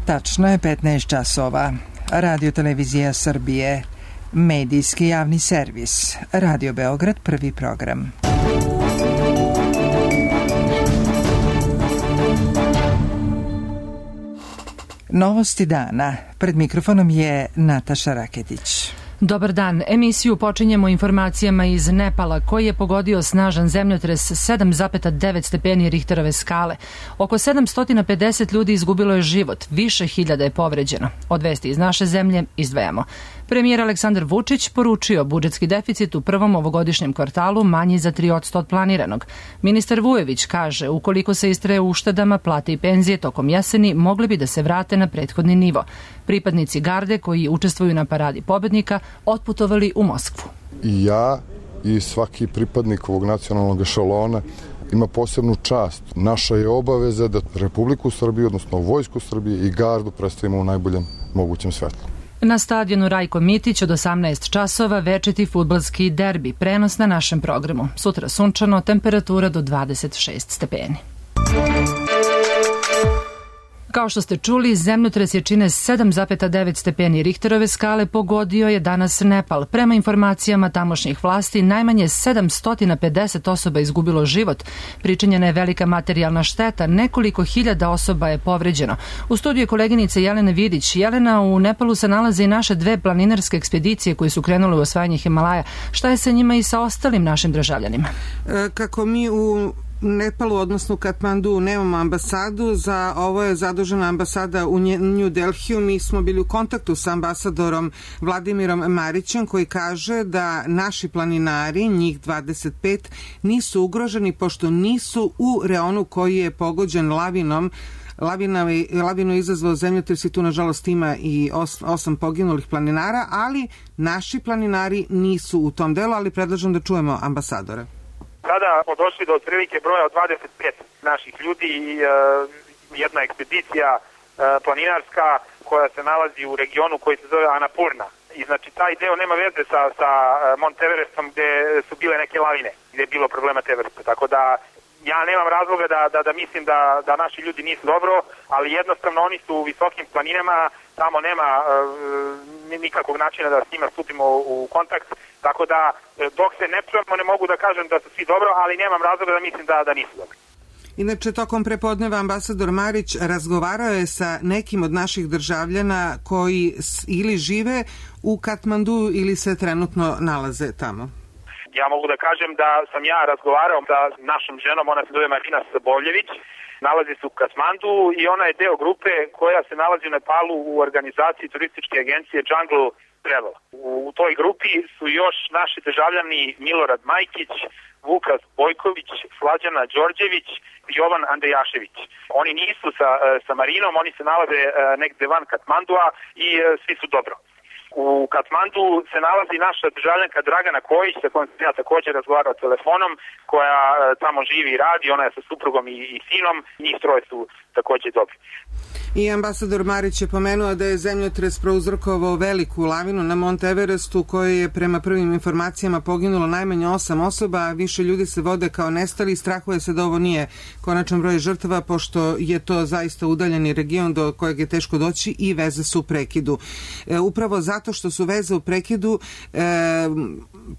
Tačno je 15 časova. Radio Televizija Srbije. Medijski javni servis. Radio Beograd, prvi program. Novosti dana. Pred mikrofonom je Nataša Raketić. Dobar dan. Emisiju počinjemo informacijama iz Nepala koji je pogodio snažan zemljotres 7,9 stepeni Richterove skale. Oko 750 ljudi izgubilo je život, više hiljada je povređeno. Od vesti iz naše zemlje izdvajamo. Premijer Aleksandar Vučić poručio budžetski deficit u prvom ovogodišnjem kvartalu manji za 3% od planiranog. Ministar Vujović kaže ukoliko se istraje uštedama, plate i penzije tokom jeseni mogli bi da se vrate na prethodni nivo. Pripadnici garde koji učestvuju na paradi pobednika otputovali u Moskvu. I ja i svaki pripadnik ovog nacionalnog ešalona ima posebnu čast. Naša je obaveza da Republiku Srbiju, odnosno Vojsku Srbije i gardu predstavimo u najboljem mogućem svetlu. Na stadionu Rajko Mitić od 18 časova večiti fudbalski derbi, prenos na našem programu. Sutra sunčano, temperatura do 26 stepeni. Kao što ste čuli, zemljotres jačine 7,9 stepeni Richterove skale pogodio je danas Nepal. Prema informacijama tamošnjih vlasti, najmanje 750 osoba izgubilo život. Pričinjena je velika materijalna šteta, nekoliko hiljada osoba je povređeno. U studiju je koleginica Jelena Vidić. Jelena, u Nepalu se nalaze i naše dve planinarske ekspedicije koje su krenule u osvajanje Himalaja. Šta je sa njima i sa ostalim našim državljanima? Kako mi u Nepalu, odnosno u Katmandu, nemamo ambasadu, za ovo je zadužena ambasada u New Delhiju. Mi smo bili u kontaktu sa ambasadorom Vladimirom Marićem koji kaže da naši planinari, njih 25, nisu ugroženi pošto nisu u reonu koji je pogođen lavinom. Lavinu izazvao zemljotres i tu nažalost ima i 8 poginulih planinara, ali naši planinari nisu u tom delu, ali predlažem da čujemo ambasadora. Sada smo došli do otprilike broja od 25 naših ljudi i jedna ekspedicija planinarska koja se nalazi u regionu koji se zove Annapurna. I znači taj deo nema veze sa Mont Everestom gde su bile neke lavine, gde je bilo problema Everesta. Tako da ja nemam razloga da mislim da naši ljudi nisu dobro, ali jednostavno oni su u visokim planinama, tamo nema nikakvog načina da s njima stupimo u kontakt, tako da dok se ne čujemo ne mogu da kažem da su svi dobro, ali nemam razloga da mislim da nisu dobro. Inače, tokom prepodneva ambasador Marić razgovarao je sa nekim od naših državljana koji ili žive u Katmandu ili se trenutno nalaze tamo. Ja mogu da kažem da sam ja razgovarao sa našom ženom, ona se zove Marina Sabovljević, nalazi se u Katmandu i ona je deo grupe koja se nalazi u Nepalu u organizaciji turističke agencije Jungle Travel. U toj grupi su još naši državljani Milorad Majkić, Vukas Bojković, Slađana Đorđević i Jovan Andejašević. Oni nisu sa Marinom, oni se nalaze negde van Katmandua i svi su dobro. U Katmandu se nalazi naša državljanka Dragana Kojić, sa kojom sam ja također razgovarao telefonom, koja tamo živi i radi, ona je sa suprugom i sinom, njih troje su također dobri. I ambasador Marić je pomenuo da je zemljotres prouzrokovao veliku lavinu na Mont Everestu koje je prema prvim informacijama poginulo najmanje 8 osoba, a više ljudi se vode kao nestali. Strahuje se da ovo nije konačan broj žrtava pošto je to zaista udaljeni region do kojeg je teško doći i veze su u prekidu. Upravo zato što su veze u prekidu,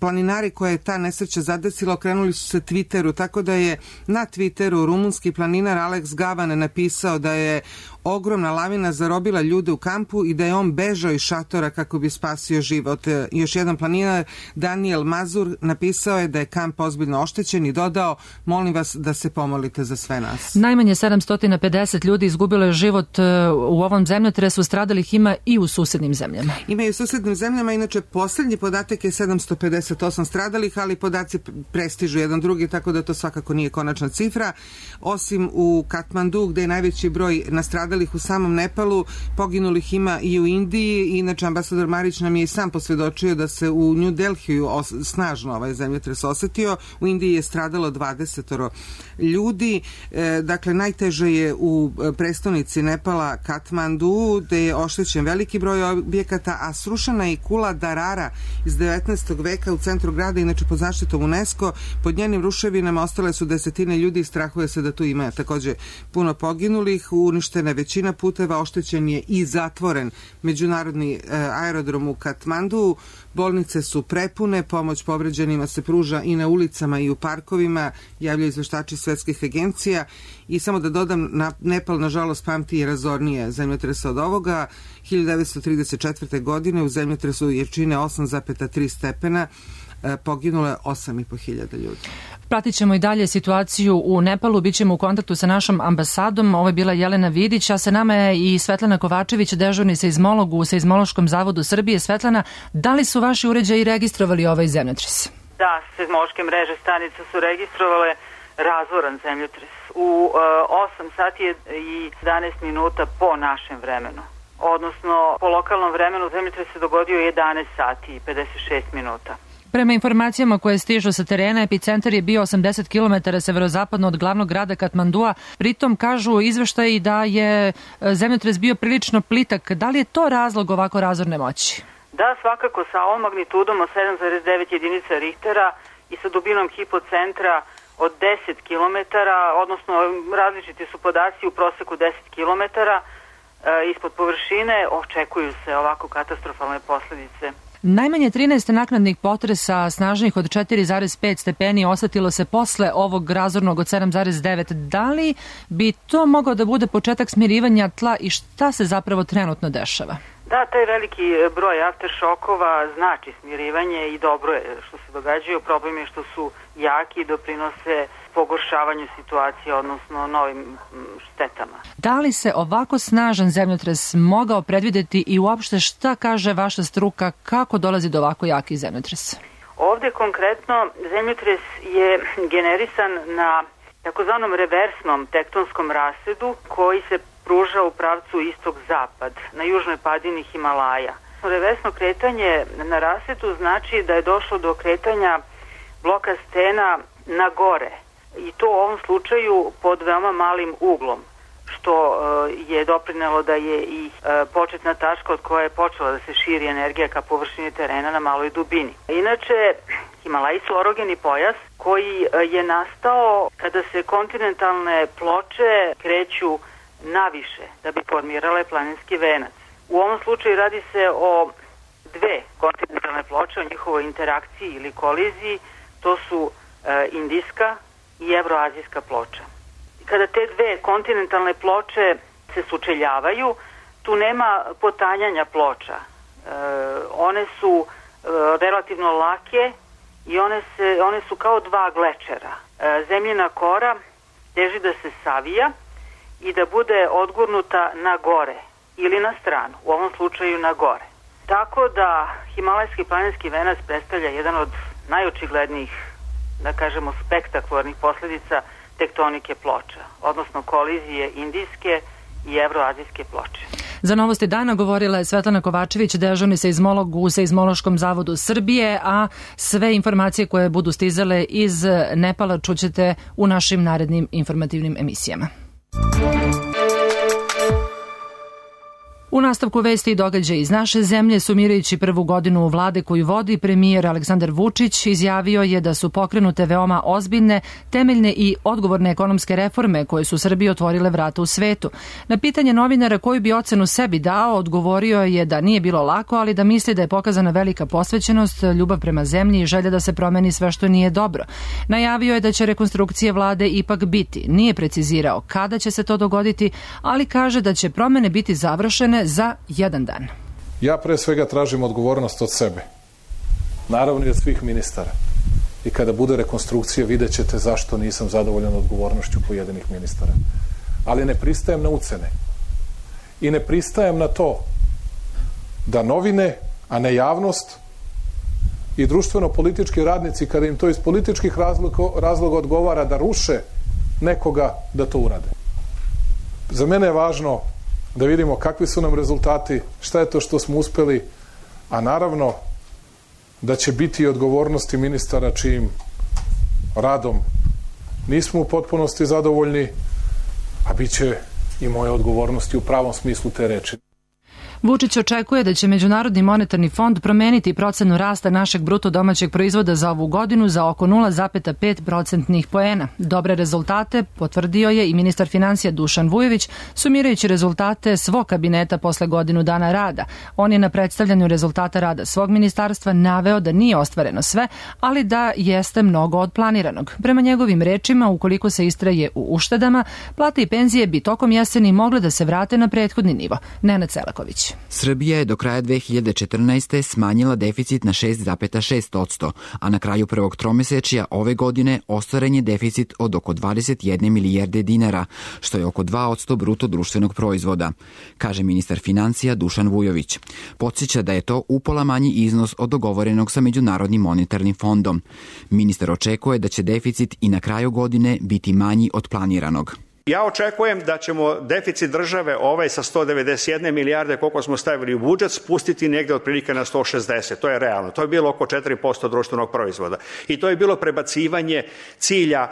planinari koje je ta nesreća zadesila okrenuli su se Twitteru, tako da je na Twitteru rumunski planinar Alex Gavan napisao da je ogromna lavina zarobila ljude u kampu i da je on bežao iz šatora kako bi spasio život. Još jedan planinar, Daniel Mazur, napisao je da je kamp ozbiljno oštećen i dodao, molim vas da se pomolite za sve nas. Najmanje 750 ljudi izgubilo je život u ovom zemljotresu, stradalih ima i u susednim zemljama. Ima i u susednim zemljama, inače posljednji podatak je 758 stradalih, ali podaci prestižu jedan drugi, tako da to svakako nije konačna cifra. Osim u Katmandu, gde je najveći broj nastradalih u samom Nepalu, poginulih ima i u Indiji. Inače, ambasador Marić nam je i sam posvjedočio da se u New Delhiju snažno ovaj zemljotres osetio. U Indiji je stradalo 20 ljudi. Dakle, najteže je u prestonici Nepala Katmandu, gde je oštećen veliki broj objekata, a srušena je i kula Darara iz 19. veka u centru grada, inače pod zaštitom UNESCO. Pod njenim ruševinama ostale su desetine ljudi i strahuje se da tu ima također puno poginulih. Uništena je većina puteva, oštećen je i zatvoren međunarodni aerodrom u Katmandu. Bolnice su prepune, pomoć povređenima se pruža i na ulicama i u parkovima, javljaju izveštači svetskih agencija. I samo da dodam, Nepal nažalost pamti i razornije zemljotresa od ovoga. 1934. godine u zemljotresu jačine 8,3 stepena poginulo je 8.500 ljudi. Pratit ćemo i dalje situaciju u Nepalu, bit ćemo u kontaktu sa našom ambasadom. Ovo je bila Jelena Vidić, a sa nama je i Svetlana Kovačević, dežurni seizmolog u Seizmološkom zavodu Srbije. Svetlana, da li su vaši uređaji registrovali ovaj zemljotres? Da, seizmološke mreže stanica su registrovale razvoran zemljotres u 8 sati i 11 minuta po našem vremenu. Odnosno, po lokalnom vremenu zemljotres se dogodio 11 sati i 56 minuta. Prema informacijama koje stižu sa terena, epicentar je bio 80 km severozapadno od glavnog grada Katmandua. Pritom kažu izveštaji da je zemljotres bio prilično plitak. Da li je to razlog ovako razorne moći? Da, svakako sa ovom magnitudom od 7,9 jedinica Richtera i sa dubinom hipocentra od 10 km, odnosno različiti su podaci, u proseku 10 km ispod površine, očekuju se ovako katastrofalne posledice. Najmanje 13 naknadnih potresa snažnih od 4,5 stepeni osetilo se posle ovog razornog od 7,9. Da li bi to mogao da bude početak smirivanja tla i šta se zapravo trenutno dešava? Da, taj veliki broj afteršokova znači smirivanje i dobro je što se događaju. Problem je što su jaki i doprinose pogoršavanju situacije, odnosno novim štetama. Da li se ovako snažan zemljotres mogao predvideti i uopšte šta kaže vaša struka, kako dolazi do ovako jakih zemljotresa? Ovde konkretno zemljotres je generisan na takozvanom reversnom tektonskom rasedu koji se pruža u pravcu istok-zapad na južnoj padini Himalaja. Reversno kretanje na rasedu znači da je došlo do kretanja bloka stena na gore i to u ovom slučaju pod veoma malim uglom, što je doprinelo da je i početna tačka od koje je počela da se širi energija ka površini terena na maloj dubini. Inače, Himalaji su orogeni pojas koji je nastao kada se kontinentalne ploče kreću naviše da bi formirale planinski venac. U ovom slučaju radi se o dve kontinentalne ploče, o njihovoj interakciji ili koliziji, to su indijska i evroazijska ploča. Kada te dve kontinentalne ploče se sučeljavaju, tu nema potanjanja ploča. One su relativno lake i one su kao dva glečera. Zemljina kora teži da se savija i da bude odgurnuta na gore ili na stranu, u ovom slučaju na gore. Tako da Himalajski planinski venac predstavlja jedan od najočiglednijih, da kažemo, spektakularnih posledica tektonike ploča, odnosno kolizije indijske i evroazijske ploče. Za Novosti dana govorila je Svetlana Kovačević, dežurni seizmolog u Seizmološkom zavodu Srbije, a sve informacije koje budu stizale iz Nepala čućete u našim narednim informativnim emisijama. U nastavku vesti i događaja iz naše zemlje, sumirajući prvu godinu vlade koju vodi, premijer Aleksandar Vučić izjavio je da su pokrenute veoma ozbiljne, temeljne i odgovorne ekonomske reforme koje su Srbiji otvorile vrata u svetu. Na pitanje novinara koju bi ocenu sebi dao, odgovorio je da nije bilo lako, ali da misli da je pokazana velika posvećenost, ljubav prema zemlji i želja da se promeni sve što nije dobro. Najavio je da će rekonstrukcije vlade ipak biti. Nije precizirao kada će se to dogoditi, ali kaže da će promene biti završene za jedan dan. Ja pre svega tražim odgovornost od sebe. Naravno i od svih ministara. I kada bude rekonstrukcija vidjet ćete zašto nisam zadovoljan odgovornošću pojedinih ministara. Ali ne pristajem na ucene. I ne pristajem na to da novine, a ne javnost i društveno-politički radnici, kada im to iz političkih razloga odgovara da ruše nekoga, da to urade. Za mene je važno da vidimo kakvi su nam rezultati, šta je to što smo uspeli, a naravno da će biti i odgovornosti ministara čijim radom nismo u potpunosti zadovoljni, a bit će i moje odgovornosti u pravom smislu te reči. Vučić očekuje da će Međunarodni monetarni fond promeniti procenu rasta našeg bruto domaćeg proizvoda za ovu godinu za oko 0,5 procentnih poena. Dobre rezultate potvrdio je i ministar finansija Dušan Vujović, sumirajući rezultate svog kabineta posle godinu dana rada. On je na predstavljanju rezultata rada svog ministarstva naveo da nije ostvareno sve, ali da jeste mnogo od planiranog. Prema njegovim rečima, ukoliko se istraje u uštedama, plate i penzije bi tokom jeseni mogle da se vrate na prethodni nivo. Nenad Selaković. Srbija je do kraja 2014. smanjila deficit na 6,6%, a na kraju prvog tromesečja ove godine ostvaren je deficit od oko 21 milijarde dinara, što je oko 2% bruto društvenog proizvoda, kaže ministar financija Dušan Vujović. Podsjeća da je to upola manji iznos od dogovorenog sa Međunarodnim monetarnim fondom. Ministar očekuje da će deficit i na kraju godine biti manji od planiranog. Ja očekujem da ćemo deficit države sa 191 milijarde koliko smo stavili u budžet spustiti negde otprilike na 160. To je realno. To je bilo oko 4% društvenog proizvoda. I to je bilo prebacivanje cilja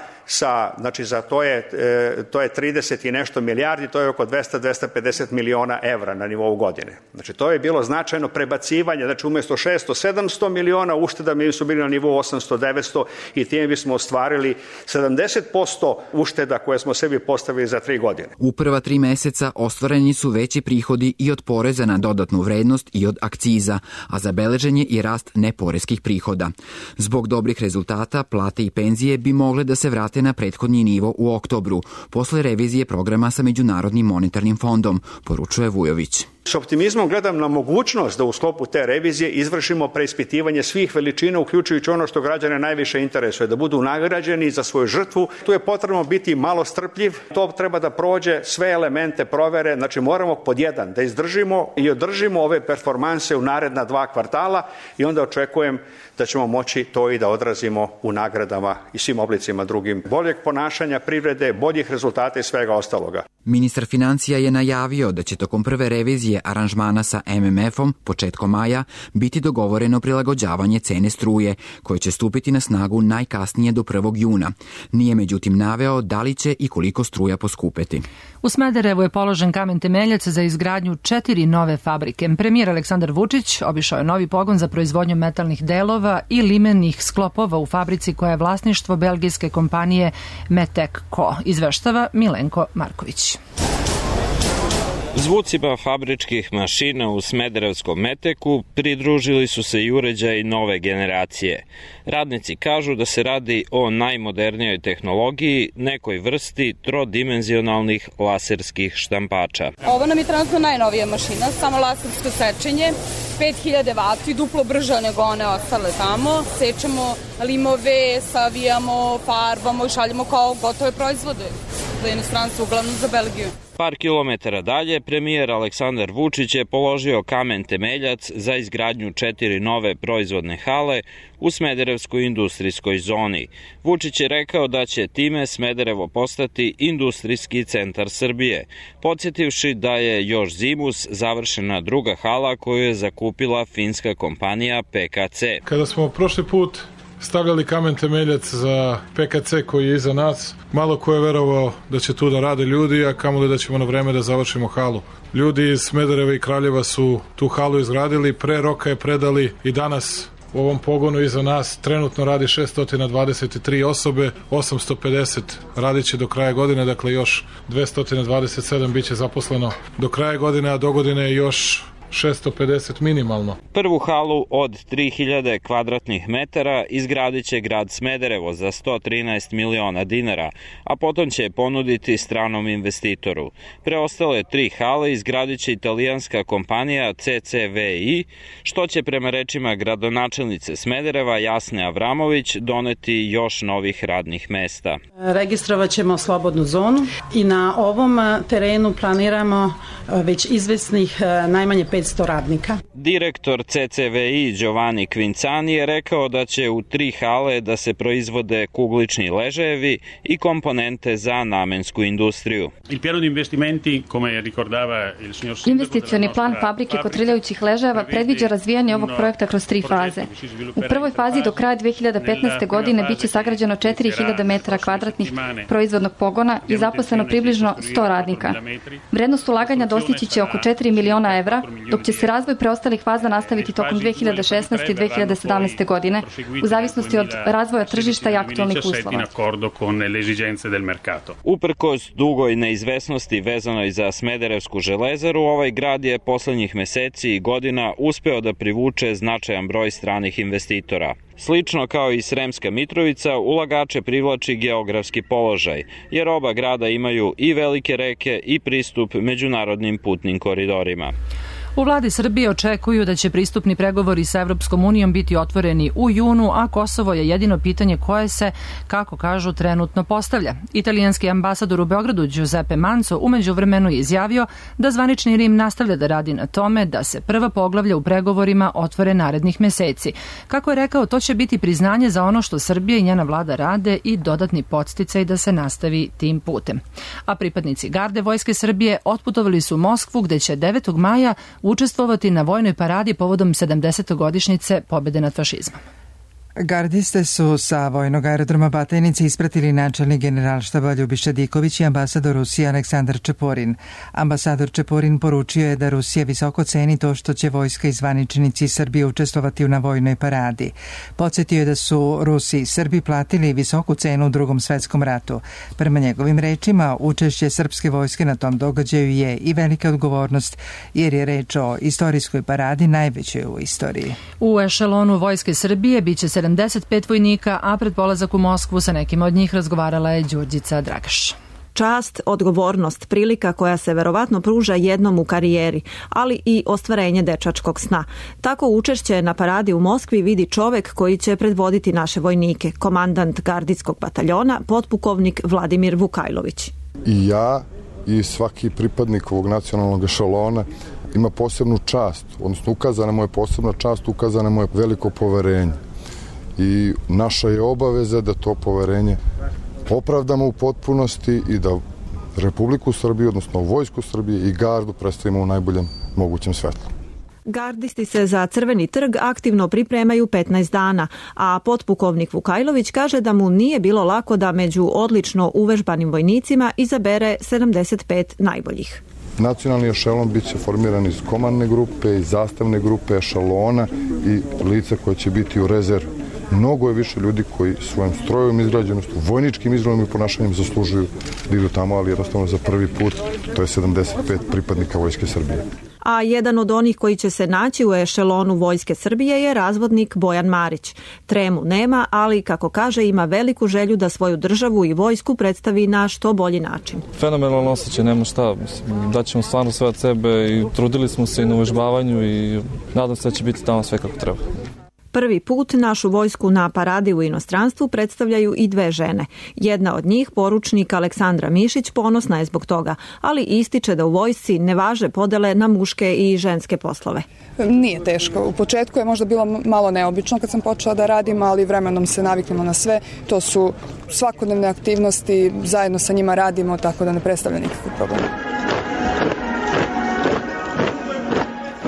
to je 30 i nešto milijardi, to je oko 200-250 miliona evra na nivou godine. Znači to je bilo značajno prebacivanje, znači umjesto 600-700 miliona ušteda mi su bili na nivou 800-900 i time bismo ostvarili 70% ušteda koje smo sebi postavili za 3 godine. U prva 3 meseca ostvareni su veći prihodi i od poreza na dodatnu vrednost i od akciza, a zabeležen je i rast neporeskih prihoda. Zbog dobrih rezultata, plate i penzije bi mogle da se vrate na prethodni nivo u oktobru, posle revizije programa sa Međunarodnim monetarnim fondom, poručuje Vujović. S optimizmom gledam na mogućnost da u sklopu te revizije izvršimo preispitivanje svih veličina, uključujući ono što građane najviše interesuje, da budu nagrađeni za svoju žrtvu. Tu je potrebno biti malo strpljiv, to treba da prođe sve elemente provere, znači moramo pod jedan da izdržimo i održimo ove performanse u naredna 2 kvartala i onda očekujem da ćemo moći to i da odrazimo u nagradama i svim oblicima drugim boljeg ponašanja privrede, boljih rezultata i svega ostaloga. Ministar financija je najavio da će tokom prve revizije aranžmana sa MMF-om početkom maja biti dogovoreno prilagođavanje cene struje, koje će stupiti na snagu najkasnije do 1. juna. Nije međutim naveo da li će i koliko struja poskupeti. U Smederevu je položen kamen temeljac za izgradnju 4 nove fabrike. Premijer Aleksandar Vučić obišao je novi pogon za proizvodnju metalnih delova i limenih sklopova u fabrici koja je vlasništvo belgijske kompanije Metec-Co, izveštava Milenko Marković. Zvucima fabričkih mašina u smederevskom Meteku pridružili su se i uređaji nove generacije. Radnici kažu da se radi o najmodernijoj tehnologiji, nekoj vrsti trodimenzionalnih laserskih štampača. Ovo nam je trenutno najnovija mašina, samo lasersko sečenje, 5000 vati, duplo brža nego one ostale tamo. Sečemo limove, savijamo, farbamo i šaljemo kao gotove proizvode za inostranstvo, uglavnom za Belgiju. Par kilometara dalje, premijer Aleksandar Vučić je položio kamen temeljac za izgradnju 4 nove proizvodne hale u Smederevskoj industrijskoj zoni. Vučić je rekao da će time Smederevo postati industrijski centar Srbije, podsjetivši da je još zimus završena druga hala koju je zakupila finska kompanija PKC. Kada smo prošli put stavljali kamen temeljac za PKC koji je iza nas, malo ko je verovao da će tu da rade ljudi, a kamoli da ćemo na vreme da završimo halu. Ljudi iz Smedereva i Kraljeva su tu halu izgradili, pre roka je predali i danas u ovom pogonu iza nas trenutno radi 623 osobe, 850 radit će do kraja godine, dakle još 227 bit će zaposleno do kraja godine, a do godine još 650 minimalno. Prvu halu od 3000 kvadratnih metara izgradit će grad Smederevo za 113 miliona dinara, a potom će ponuditi stranom investitoru. Preostale 3 hale izgradit će italijanska kompanija CCVI, što će prema rečima gradonačelnice Smedereva Jasne Avramović doneti još novih radnih mesta. Registrovat ćemo slobodnu zonu i na ovom terenu planiramo već izvesnih najmanje 500 radnika. Direktor CCVI Giovanni Quincani je rekao da će u 3 hale da se proizvode kuglični ležajevi i komponente za namensku industriju. Investicioni plan fabrike kotrljajućih ležajeva predviđa razvijanje ovog projekta kroz 3 faze. U prvoj fazi do kraja 2015. godine biće sagrađeno 4000 metara kvadratnih proizvodnog pogona i zaposleno približno 100 radnika. Vrednost ulaganja dostići će oko 4 miliona evra, dok će se razvoj preostalih faza nastaviti tokom 2016. i 2017. godine, u zavisnosti od razvoja tržišta i aktualnih uslova. Uprkos dugoj neizvesnosti vezanoj za Smederevsku železaru, ovaj grad je poslednjih meseci i godina uspeo da privuče značajan broj stranih investitora. Slično kao i Sremska Mitrovica, ulagače privlači geografski položaj, jer oba grada imaju i velike reke i pristup međunarodnim putnim koridorima. U vladi Srbije očekuju da će pristupni pregovori sa Evropskom unijom biti otvoreni u junu, a Kosovo je jedino pitanje koje se, kako kažu, trenutno postavlja. Italijanski ambasador u Beogradu Giuseppe Manzo u međuvremenu je izjavio da zvanični Rim nastavlja da radi na tome da se prva poglavlja u pregovorima otvore narednih meseci. Kako je rekao, to će biti priznanje za ono što Srbija i njena vlada rade i dodatni podsticaj da se nastavi tim putem. A pripadnici garde Vojske Srbije otputovali su u Moskvu, gde će 9. maja učestvovati na vojnoj paradi povodom 70. godišnjice pobjede nad fašizmom. Gardiste su sa vojnog aerodroma Batajnici ispratili načelnik generalštaba Ljubiša Diković i ambasador Rusije Aleksandar Čeporin. Ambasador Čeporin poručio je da Rusija visoko ceni to što će vojska i zvaničnici Srbije učestvovati na vojnoj paradi. Podsjetio je da su Rusi i Srbi platili visoku cenu u Drugom svetskom ratu. Prema njegovim rečima, učešće srpske vojske na tom događaju je i velika odgovornost, jer je reč o istorijskoj paradi, najvećoj u istoriji. U ešelonu Vojske Srbije biće 75 vojnika, a pred polazak u Moskvu sa nekim od njih razgovarala je Đurđica Dragaš. Čast, odgovornost, prilika koja se verovatno pruža jednom u karijeri, ali i ostvarenje dečačkog sna. Tako učešće na paradi u Moskvi vidi čovek koji će predvoditi naše vojnike, komandant gardijskog bataljona, potpukovnik Vladimir Vukajlović. I ja i svaki pripadnik ovog nacionalnog ešalona ima posebnu čast, odnosno ukazana mu je posebna čast, ukazana mu je veliko poverenje. I naša je obaveza da to poverenje opravdamo u potpunosti i da Republiku Srbiju, odnosno Vojsku Srbije i gardu predstavimo u najboljem mogućem svetlu. Gardisti se za Crveni trg aktivno pripremaju 15 dana, a potpukovnik Vukajlović kaže da mu nije bilo lako da među odlično uvežbanim vojnicima izabere 75 najboljih. Nacionalni ešalon bit će formiran iz komandne grupe, iz zastavne grupe, ešalona i lica koje će biti u rezervi. Mnogo je više ljudi koji svojom strojom izgrađenostu, vojničkim izgledom i ponašanjem zaslužuju da idu tamo, ali jednostavno za prvi put to je 75 pripadnika Vojske Srbije. A jedan od onih koji će se naći u ešelonu Vojske Srbije je razvodnik Bojan Marić. Tremu nema, ali, kako kaže, ima veliku želju da svoju državu i vojsku predstavi na što bolji način. Fenomenalno osjećaj, nema šta. Daćemo stvarno sve od sebe i trudili smo se i na uvežbavanju i nadam se da će biti tamo sve kako treba. Prvi put našu vojsku na paradi u inostranstvu predstavljaju i dve žene. Jedna od njih, poručnik Aleksandra Mišić, ponosna je zbog toga, ali ističe da u vojsci ne važe podele na muške i ženske poslove. Nije teško. U početku je možda bilo malo neobično kad sam počela da radim, ali vremenom se naviknemo na sve. To su svakodnevne aktivnosti, zajedno sa njima radimo, tako da ne predstavlja nikakvu problem.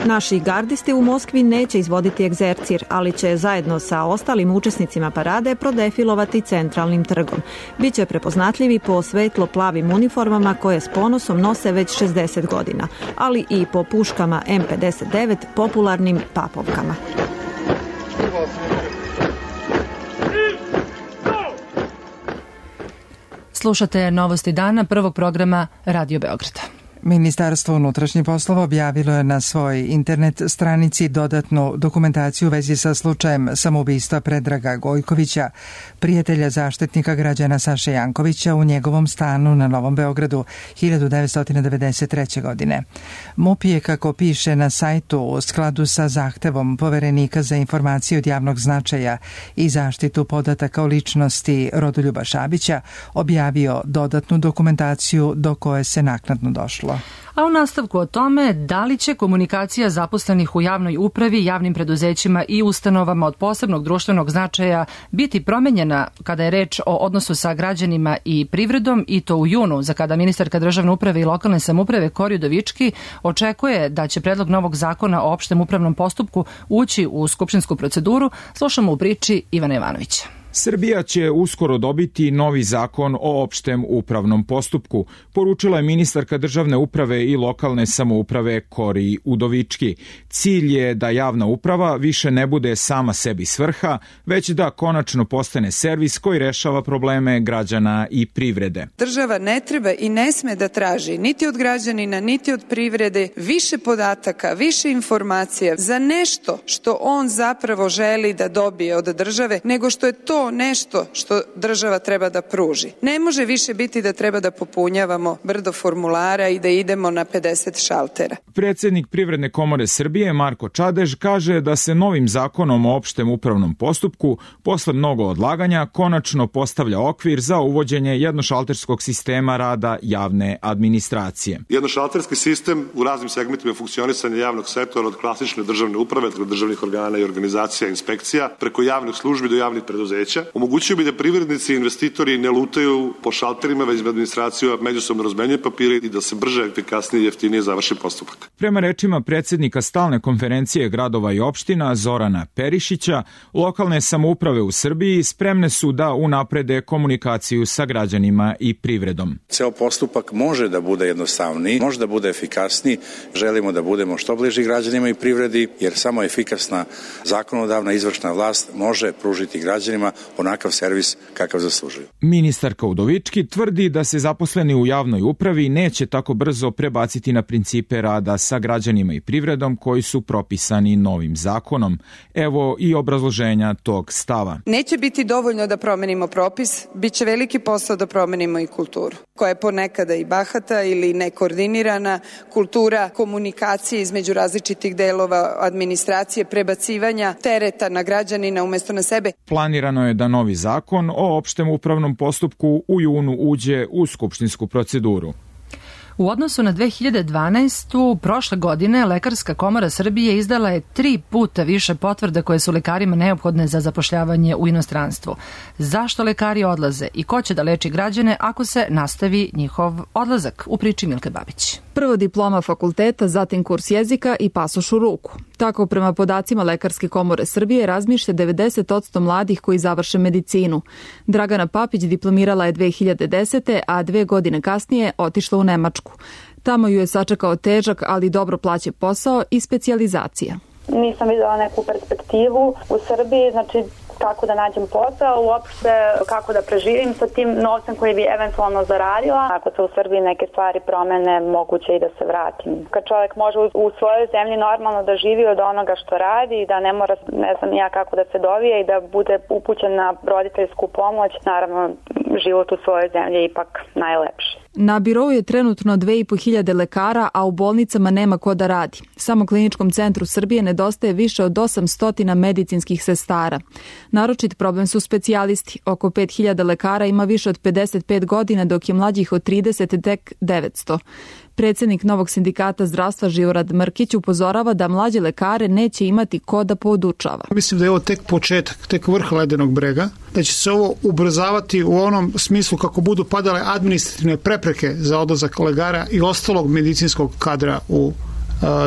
Naši gardisti u Moskvi neće izvoditi egzercir, ali će zajedno sa ostalim učesnicima parade prodefilovati centralnim trgom. Biće prepoznatljivi po svetlo-plavim uniformama koje s ponosom nose već 60 godina, ali i po puškama M59, popularnim papovkama. Slušate Novosti dana prvog programa Radio Beograda. Ministarstvo unutrašnjih poslova objavilo je na svojoj internet stranici dodatnu dokumentaciju u vezi sa slučajem samoubistva Predraga Gojkovića, prijatelja zaštitnika građana Saše Jankovića u njegovom stanu na Novom Beogradu 1993. godine. MUP je, kako piše na sajtu, u skladu sa zahtevom Poverenika za informacije od javnog značaja i zaštitu podataka o ličnosti Rodoljuba Šabića, objavio dodatnu dokumentaciju do koje se naknadno došlo. A u nastavku o tome da li će komunikacija zaposlenih u javnoj upravi, javnim preduzećima i ustanovama od posebnog društvenog značaja biti promenjena kada je reč o odnosu sa građanima i privredom, i to u junu, za kada ministarka državne uprave i lokalne samouprave Kori Udovički očekuje da će predlog novog zakona o opštem upravnom postupku ući u skupštinsku proceduru, slušamo u priči Ivana Jovanovića. Srbija će uskoro dobiti novi zakon o opštem upravnom postupku, poručila je ministarka državne uprave i lokalne samouprave Kori Udovički. Cilj je da javna uprava više ne bude sama sebi svrha, već da konačno postane servis koji rešava probleme građana i privrede. Država ne treba i ne sme da traži niti od građanina, niti od privrede više podataka, više informacija za nešto što on zapravo želi da dobije od države, nego što je to nešto što država treba da pruži. Ne može više biti da treba da popunjavamo brdo formulara i da idemo na 50 šaltera. Predsednik Privredne komore Srbije Marko Čadež kaže da se novim zakonom o opštem upravnom postupku posle mnogo odlaganja konačno postavlja okvir za uvođenje jednošalterskog sistema rada javne administracije. Jednošalterski sistem u raznim segmentima funkcionisanja javnog sektora od klasične državne uprave, državnih organa i organizacija, inspekcija, preko javnih službi do javnih preduzeća, omogućio bi da privrednici i investitori ne lutaju po šalterima, već da administracija međusobno razmenjuje papire i da se brže, efikasnije i jeftinije završi postupak. Prema rečima predsednika Stalne konferencije gradova i opština Zorana Perišića, lokalne samouprave u Srbiji spremne su da unaprede komunikaciju sa građanima i privredom. Ceo postupak može da bude jednostavniji, može da bude efikasniji. Želimo da budemo što bliži građanima i privredi, jer samo efikasna zakonodavna izvršna vlast može pružiti građanima onakav servis kakav zaslužuju. Ministarka Udovički tvrdi da se zaposleni u javnoj upravi neće tako brzo prebaciti na principe rada sa građanima i privredom koji su propisani novim zakonom. Evo i obrazloženja tog stava. Neće biti dovoljno da promenimo propis, bit će veliki posao da promenimo i kulturu, koja je ponekada i bahata ili nekoordinirana, kultura komunikacije između različitih delova administracije, prebacivanja tereta na građanina umesto na sebe. Planirano je da novi zakon o opštem upravnom postupku u junu uđe u skupštinsku proceduru. U odnosu na 2012. prošle godine Lekarska komora Srbije izdala je 3 puta više potvrda koje su lekarima neophodne za zapošljavanje u inostranstvu. Zašto lekari odlaze i ko će da leči građane ako se nastavi njihov odlazak? U priči Milke Babić. Prvo diploma fakulteta, zatim kurs jezika i pasoš u ruku. Tako prema podacima Lekarske komore Srbije razmišlja 90% mladih koji završe medicinu. Dragana Papić diplomirala je 2010. a 2 godine kasnije otišla u Nemačku. Tamo ju je sačekao težak, ali dobro plaćen posao i specijalizacija. Nisam videla neku perspektivu u Srbiji, znači kako da nađem posao, uopšte kako da preživim sa tim novcem koji bi eventualno zaradila. Ako se u Srbiji neke stvari promene, moguće i da se vratim. Kad čovjek može u svojoj zemlji normalno da živi od onoga što radi i da ne mora, ne znam ja kako da se dovije i da bude upućen na roditeljsku pomoć, naravno život u svojoj zemlji je ipak najlepši. Na birou je trenutno 2500 lekara, a u bolnicama nema ko da radi. Samo Kliničkom centru Srbije nedostaje više od 800 medicinskih sestara. Naročit problem su specijalisti. Oko 5000 lekara ima više od 55 godina, dok je mlađih od 30 tek 900. Predsednik Novog sindikata zdravstva Živorad Mrkić upozorava da mlađe lekare neće imati ko da podučava. Mislim da je ovo tek početak, tek vrh ledenog brega, da će se ovo ubrzavati u onom smislu kako budu padale administrativne prepreke za odlazak lekara i ostalog medicinskog kadra u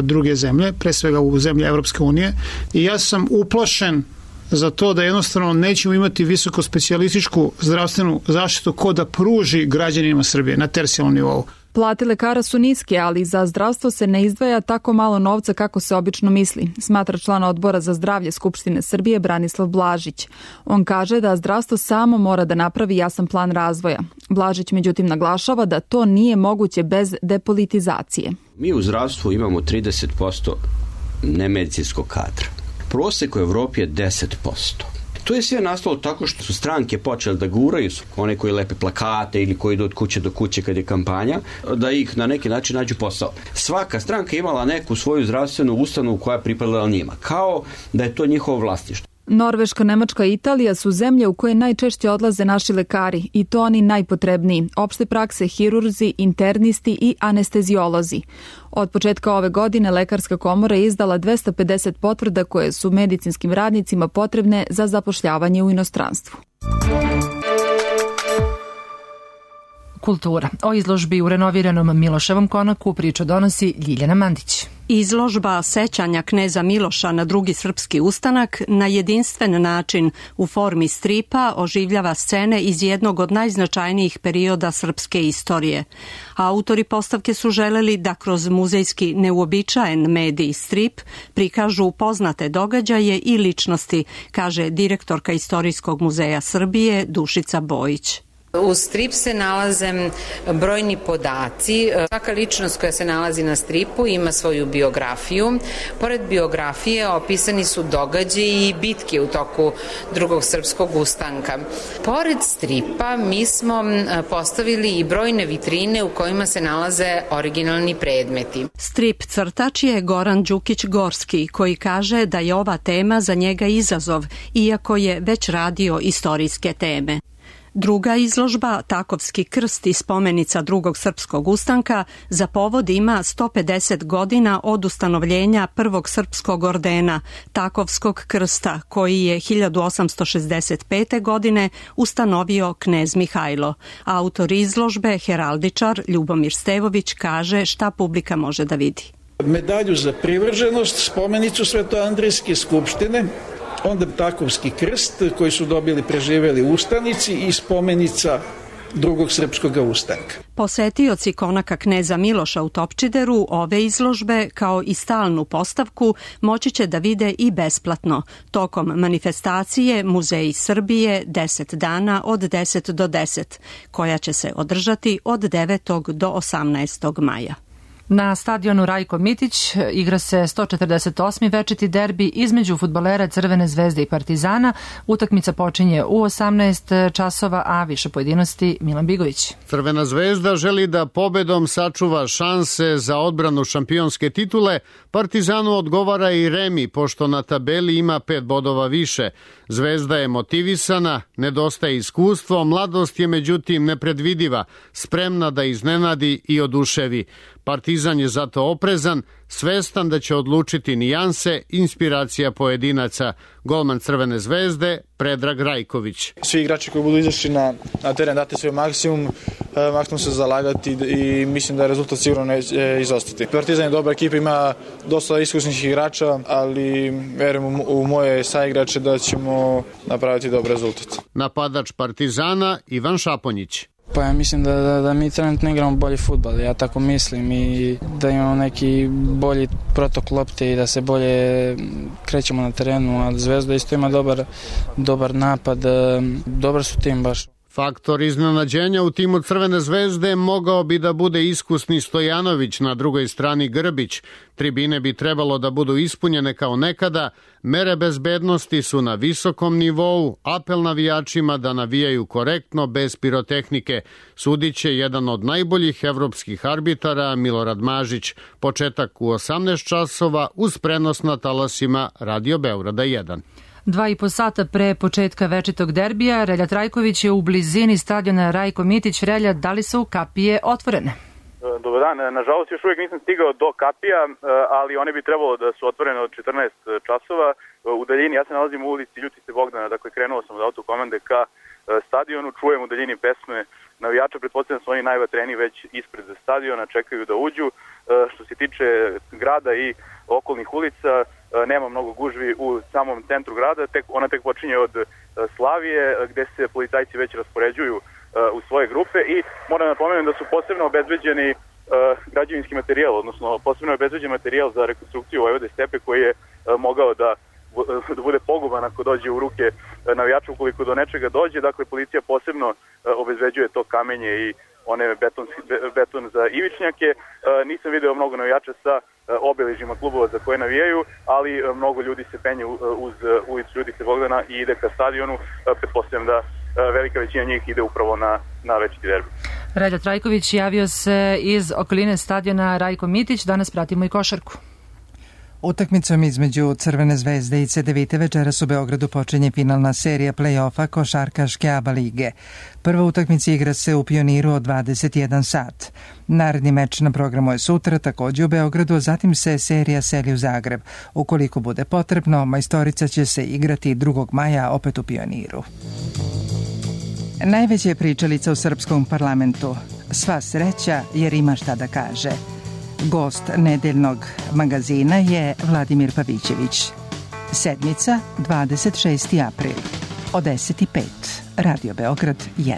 druge zemlje, pre svega u zemlje Evropske unije. I ja sam uplašen za to da jednostavno nećemo imati visoko specijalističku zdravstvenu zaštitu ko da pruži građanima Srbije na tercijalnom nivou. Plate lekara su niske, ali za zdravstvo se ne izdvaja tako malo novca kako se obično misli, smatra član odbora za zdravlje Skupštine Srbije Branislav Blažić. On kaže da zdravstvo samo mora da napravi jasan plan razvoja. Blažić međutim naglašava da to nije moguće bez depolitizacije. Mi u zdravstvu imamo 30% nemedicinskog kadra. Prosek u Evropi je 10%. To je sve nastalo tako što su stranke počele da guraju, one koji lepe plakate ili koji idu od kuće do kuće kad je kampanja, da ih na neki način nađu posao. Svaka stranka imala neku svoju zdravstvenu ustanovu koja je pripadala njima, kao da je to njihovo vlasništvo. Norveška, Nemačka i Italija su zemlje u koje najčešće odlaze naši lekari i to oni najpotrebniji, opšte prakse, hirurzi, internisti i anesteziolozi. Od početka ove godine Lekarska komora je izdala 250 potvrda koje su medicinskim radnicima potrebne za zapošljavanje u inostranstvu. kultura. O izložbi u renoviranom Miloševom konaku priču donosi Ljiljana Mandić. Izložba sećanja kneza Miloša na drugi srpski ustanak na jedinstven način u formi stripa oživljava scene iz jednog od najznačajnijih perioda srpske istorije. Autori postavke su želeli da kroz muzejski neuobičajen medij strip prikažu poznate događaje i ličnosti, kaže direktorka Istorijskog muzeja Srbije Dušica Bojić. U strip se nalaze brojni podaci. Svaka ličnost koja se nalazi na stripu ima svoju biografiju. Pored biografije opisani su događaji i bitke u toku drugog srpskog ustanka. Pored stripa mi smo postavili i brojne vitrine u kojima se nalaze originalni predmeti. Strip crtač je Goran Đukić-Gorski, koji kaže da je ova tema za njega izazov, iako je već radio istorijske teme. Druga izložba, Takovski krst i spomenica drugog srpskog ustanka, za povod ima 150 godina od ustanovljenja prvog srpskog ordena, Takovskog krsta, koji je 1865. godine ustanovio knez Mihajlo. Autor izložbe, heraldičar Ljubomir Stevović, kaže šta publika može da vidi. Medalju za privrženost, spomenicu Svetoandrijske skupštine, onda Takovski krst koji su dobili preživeli ustanici i spomenica drugog srpskog ustanka. Posetioci konaka kneza Miloša u Topčideru ove izložbe, kao i stalnu postavku, moći će da vide i besplatno. Tokom manifestacije Muzeji Srbije 10 dana od 10 do 10, koja će se održati od 9. do 18. maja. Na stadionu Rajko Mitić igra se 148. večiti derbi između fudbalera Crvene zvezde i Partizana. Utakmica počinje u 18 časova, a više pojedinosti Milan Bigović. Crvena zvezda želi da pobedom sačuva šanse za odbranu šampionske titule. Partizanu odgovara i remi, pošto na tabeli ima 5 bodova više. Zvezda je motivisana, nedostaje iskustvo, mladost je međutim nepredvidiva, spremna da iznenadi i oduševi. Partizan je zato oprezan, svestan da će odlučiti nijanse, inspiracija pojedinaca. Golman Crvene zvezde, Predrag Rajković. Svi igrači koji budu izašli na teren dati svoj maksimum se zalagati i mislim da je rezultat sigurno neće izostati. Partizan je dobra ekipa, ima dosta iskusnih igrača, ali verujem u moje saigrače da ćemo napraviti dobar rezultat. Napadač Partizana Ivan Šaponjić. Pa ja mislim da mi trenutno igramo bolji fudbal, ja tako mislim, i da imamo neki bolji protok lopte i da se bolje krećemo na terenu, a Zvezda isto ima dobar napad, dobar su tim baš. Faktor iznenađenja u timu Crvene zvezde mogao bi da bude iskusni Stojanović, na drugoj strani Grbić. Tribine bi trebalo da budu ispunjene kao nekada, mere bezbednosti su na visokom nivou, apel navijačima da navijaju korektno, bez pirotehnike. Sudiće jedan od najboljih evropskih arbitara, Milorad Mažić. Početak u 18 časova uz prenos na talasima Radio Beograda 1. 2,5 sata pre početka večitog derbija, Relja Trajković je u blizini stadiona Rajko Mitić. Relja, da li su kapije otvorene? Dobar dan, nažalost još uvijek nisam stigao do kapija, ali one bi trebalo da su otvorene od 14 časova. U daljini, ja se nalazim u ulici Ljutice Bogdana, dakle krenuo sam od autokomande ka stadionu, čujem u daljini pesme navijača, pretpostavljam da su oni najvatreniji već ispred stadiona, čekaju da uđu. Što se tiče grada i okolnih ulica, nema mnogo gužvi u samom centru grada, ona tek počinje od Slavije, gde se policajci već raspoređuju u svoje grupe i moram napomenuti da su posebno obezbeđeni građevinski materijal, odnosno posebno obezbeđen materijal za rekonstrukciju Vojvode Stepe koji je mogao da bude poguban ako dođe u ruke navijača ukoliko do nečega dođe. Dakle, policija posebno obezbeđuje to kamenje i one beton za ivičnjake. Nisam video mnogo navijača sa obeležima klubova za koje navijaju, ali mnogo ljudi se penje uz ulicu Ljudice Bogdana i ide ka stadionu. Pretpostavljam da velika većina njih ide upravo na večiti derbi. Relja Trajković javio se iz okoline stadiona Rajko Mitić. Danas pratimo i košarku. Utakmicom između Crvene zvezde i CDVite večeras u Beogradu počinje finalna serija play-offa košarkaške ABA lige. Prva utakmica igra se u Pioniru od 21 sat. Naredni meč na programu je sutra, takođe u Beogradu, a zatim se serija seli u Zagreb. Ukoliko bude potrebno, majstorica će se igrati 2. maja opet u Pioniru. Najveća je pričalica u srpskom parlamentu. Sva sreća jer ima šta da kaže. Gost nedeljnog magazina je Vladimir Pavićević. Sedmica, 26. april, od 10:05, Radio Beograd 1.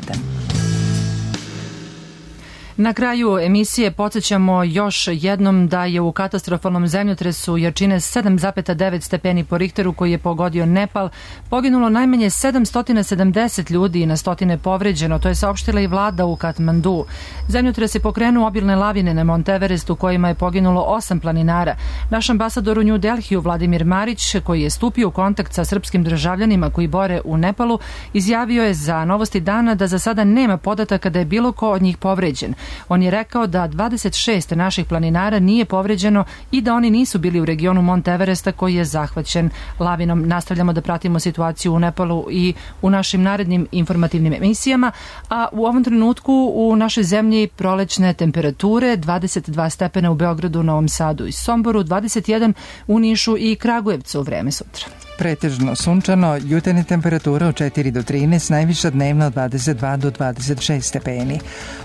Na kraju emisije podsjećamo još jednom da je u katastrofalnom zemljotresu jačine 7,9 stepeni po Richteru koji je pogodio Nepal poginulo najmanje 770 ljudi i na stotine povređeno, to je saopštila i vlada u Katmandu. Zemljotres je pokrenuo obilne lavine na Mount Everestu kojima je poginulo 8 planinara. Naš ambasador u New Delhiju Vladimir Marić, koji je stupio u kontakt sa srpskim državljanima koji bore u Nepalu, izjavio je za Novosti dana da za sada nema podataka da je bilo ko od njih povređen. On je rekao da 26 naših planinara nije povređeno i da oni nisu bili u regionu Mount Everesta koji je zahvaćen lavinom. Nastavljamo da pratimo situaciju u Nepalu i u našim narednim informativnim emisijama, a u ovom trenutku u našoj zemlji prolećne temperature 22 stepena u Beogradu, Novom Sadu i Somboru, 21 u Nišu i Kragujevcu u vreme sutra. Pretežno sunčano, jutarnje temperatura od 4 do 13, najviša dnevna od 22 do 26 stepeni.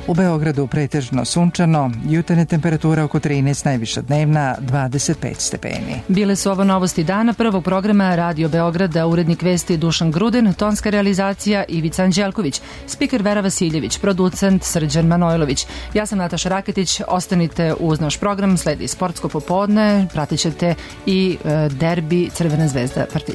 U Beogradu pretežno sunčano, jutarnje temperatura oko 13, najviša dnevna 25 stepeni. Bile su ovo Novosti dana prvog programa Radio Beograda, urednik vesti Dušan Gruden, tonska realizacija Ivica Anđelković, spiker Vera Vasiljević, producent Srđan Manojlović. Ja sam Nataša Raketić, ostanite uz naš program, sledi Sportsko popodne, pratit ćete i derbi Crvena zvezda Partizan.